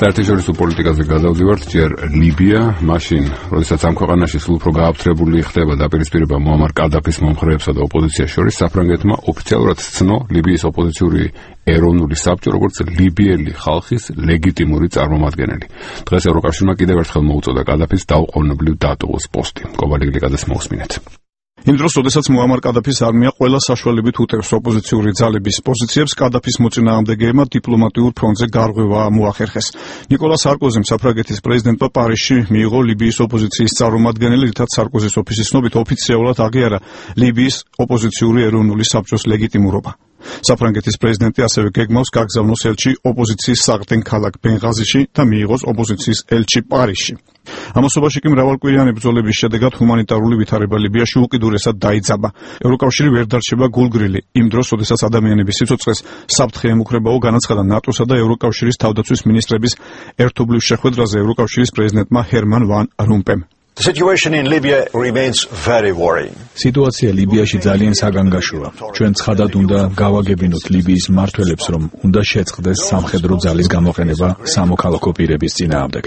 საერთაშორისო პოლიტიკაზე გადავდივართ, ჯერ ლიბია, მაშინ, როდესაც ამ ქვეყანაში სულ უფრო გააფთრებული ხდება დაპირისპირება მუამარ კადაფის მომხრეებსა და ოპოზიციას შორის, საფრანგეთმა ოფიციალურად ცნო ლიბიის ოპოზიციური ეროვნული საბჭო, როგორც ლიბიელი ხალხის ლეგიტიმური წარმომადგენელი. დღეს ევროკავშირმა კიდევ ერთხელ მოუწოდა კადაფის დაუყოვნებლივ დატოვოს პოსტი. კობალი გლიკაძეს მოусმინეთ. იმ დროს, როდესაც მუამარ კადაფის არმია ყველა საშუალებით უტევს ოპოზიციური ძალების პოზიციებს, კადაფის მოწინააღმდეგეებმა დიპლომატიურ ფრონტზე გარღვევა მოახერხეს. ნიკოლა სარკოზიმ საფრანგეთის პრეზიდენტმა პარიზში მიიღო ლიბიის ოპოზიციის წარმომადგენელი, რითაც სარკოზის ოფისის ცნობით ოფიციალურად აღიარა ლიბიის ოპოზიციური ეროვნული საბჭოს ლეგიტიმურობა. საფრანგეთის პრეზიდენტი ასევე გეგმავს გაგზავნოს ელჩი ოპოზიციის საღდენ ქალაქ ბენღაზიში და მიიღოს ოპოზიციის ელჩი პარიზში. ამასობაში კი მრავალკვირიანი ბრძოლების შედეგად ჰუმანიტარული ვითარება ლიბიაში უკიდურესად დაიძაბა. ევროკავშირი ვერ დარჩება გულგრილი. იმ დროს, როდესაც ადამიანების სიცოცხლეს საფრთხე ემუქრებაო, განაცხადა ნატოსა და ევროკავშირის თავდაცვის მინისტრების ერთობლივ შეხვედრაზე ევროკავშირის პრეზიდენტმა ჰერმან ვან რომპემ. სიტუაცია ლიბიაში ძალიან საგანგაშოა. ჩვენ ცხადად უნდა გავაგებინოთ ლიბიის მმართველებს, რომ უნდა შეწყდეს სამხედრო ძალის გამოყენება სამოქალაქო პირების წინააღმდეგ.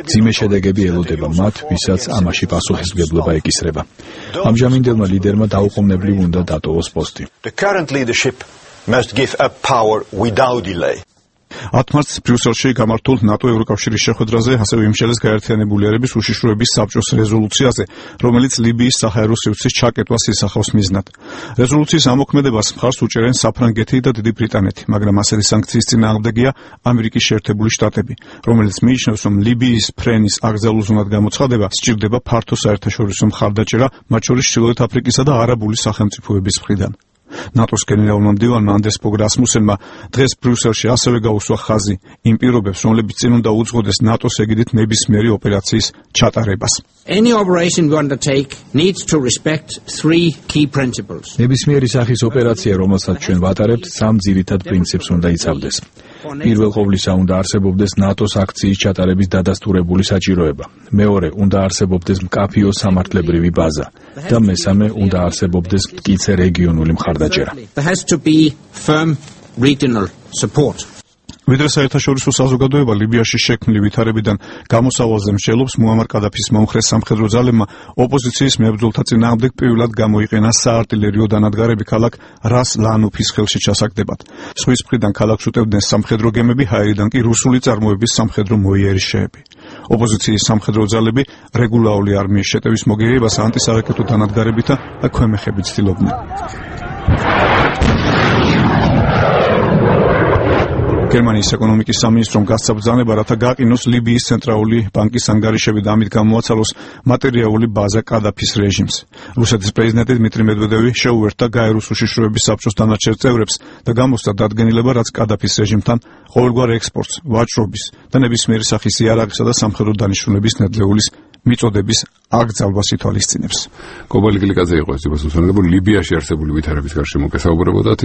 მძიმე შედეგები ელოდება მათ, ვისაც ამაში პასუხისმგებლობა ეკისრება. ამჟამინდელმა ლიდერმა დაუყოვნებლივ უნდა დატოვოს პოსტი. 10 მარტს ბრიუსელში გამართულ ნატო ევროკავშირის შეხვედრაზე ასევე იმშელეს გაერთიანებული ერების უშიშროების საბჭოს რეზოლუციაზე, რომელიც ლიბიის საჰაერო სივრცის ჩაკეტვას ისახავს მიზნად. რეზოლუციის ამოქმედებას მხარს უჭერენ საფრანგეთი და დიდი ბრიტანეთი, მაგრამ ასეთი სანქციის წინააღმდეგია ამერიკის შეერთებული შტატები, რომელიც მიიჩნევს, რომ ლიბიის ფრენის აკრძალულზნად გამოცხადება სჭირდება ფართო საერთაშორისო მხარდაჭერა, მათ შორის ჩრდილოეთ აფრიკისა და არაბული სახელმწიფოების მხრიდან. ნატოს გენერალურმა მდივანმა ანდერს ფოგ რასმუსენმა დღეს ბრიუსელში ასევე გაუსვა ხაზი იმ პირობებს, რომლებიც წინ უნდა უძღოდეს ნატოს ეგიდით ნებისმიერი ოპერაციის ჩატარებას. ნებისმიერი სახის ოპერაცია, რომელსაც ჩვენ ვატარებთ, სამ ძირითად პრინციპს უნდა იცავდეს. პირველ ყოვლისა უნდა არსებობდეს ნატოს აქციის ჩატარების დადასტურებული საჭიროება. მეორე, უნდა არსებობდეს მკაფიო სამართლებრივი ბაზა და მესამე, უნდა არსებობდეს მტკიცე რეგიონული მხარდაჭერა. ვიდრე საერთაშორისო საზოგადოება ლიბიაში შექმნილი ვითარებიდან გამოსავალზე მსჯელობს, მუამარ კადაფის მომხრე სამხედრო ძალებმა ოპოზიციის მებრძოლთა წინააღმდეგ პირველად გამოიყენა საარტილერიო დანადგარები ქალაქ რას ლანუფის ხელში ჩასაგდებად. ზღვის მხრიდან ქალაქს უტევდნენ სამხედრო გემები, ჰაერიდან კი რუსული წარმოების სამხედრო მოიერიშეები. ოპოზიციის სამხედრო ძალები რეგულარული არმიის შეტევის მოგერიებას ანტისარაკეტო დანადგარებითა და ქვემეხებით ცდილობდნენ. გერმანიის ეკონომიკის სამინისტრომ გასცა ბრძანება, რათა გაყინოს ლიბიის ცენტრალური ბანკის ანგარიშები და ამით გამოაცალოს მატერიალური ბაზა კადაფის რეჟიმს. რუსეთის პრეზიდენტი დმიტრი მედვედევი შეუერთდა გაეროს უშიშროების საბჭოს დანარჩენ წევრებს და გამოსცა დადგენილება, რაც კადაფის რეჟიმთან ყოველგვარ ექსპორტს, ვაჭრობის და ნებისმიერი სახის იარაღისა და სამხედრო დანიშნულების ნედლეულის მიწოდების აკრძალვას ითვალისწინებს. კობალი გლიკაძე იყო ეს ლიბიაში არსებული ვითარების გარშემო გესაუბრებოდათ.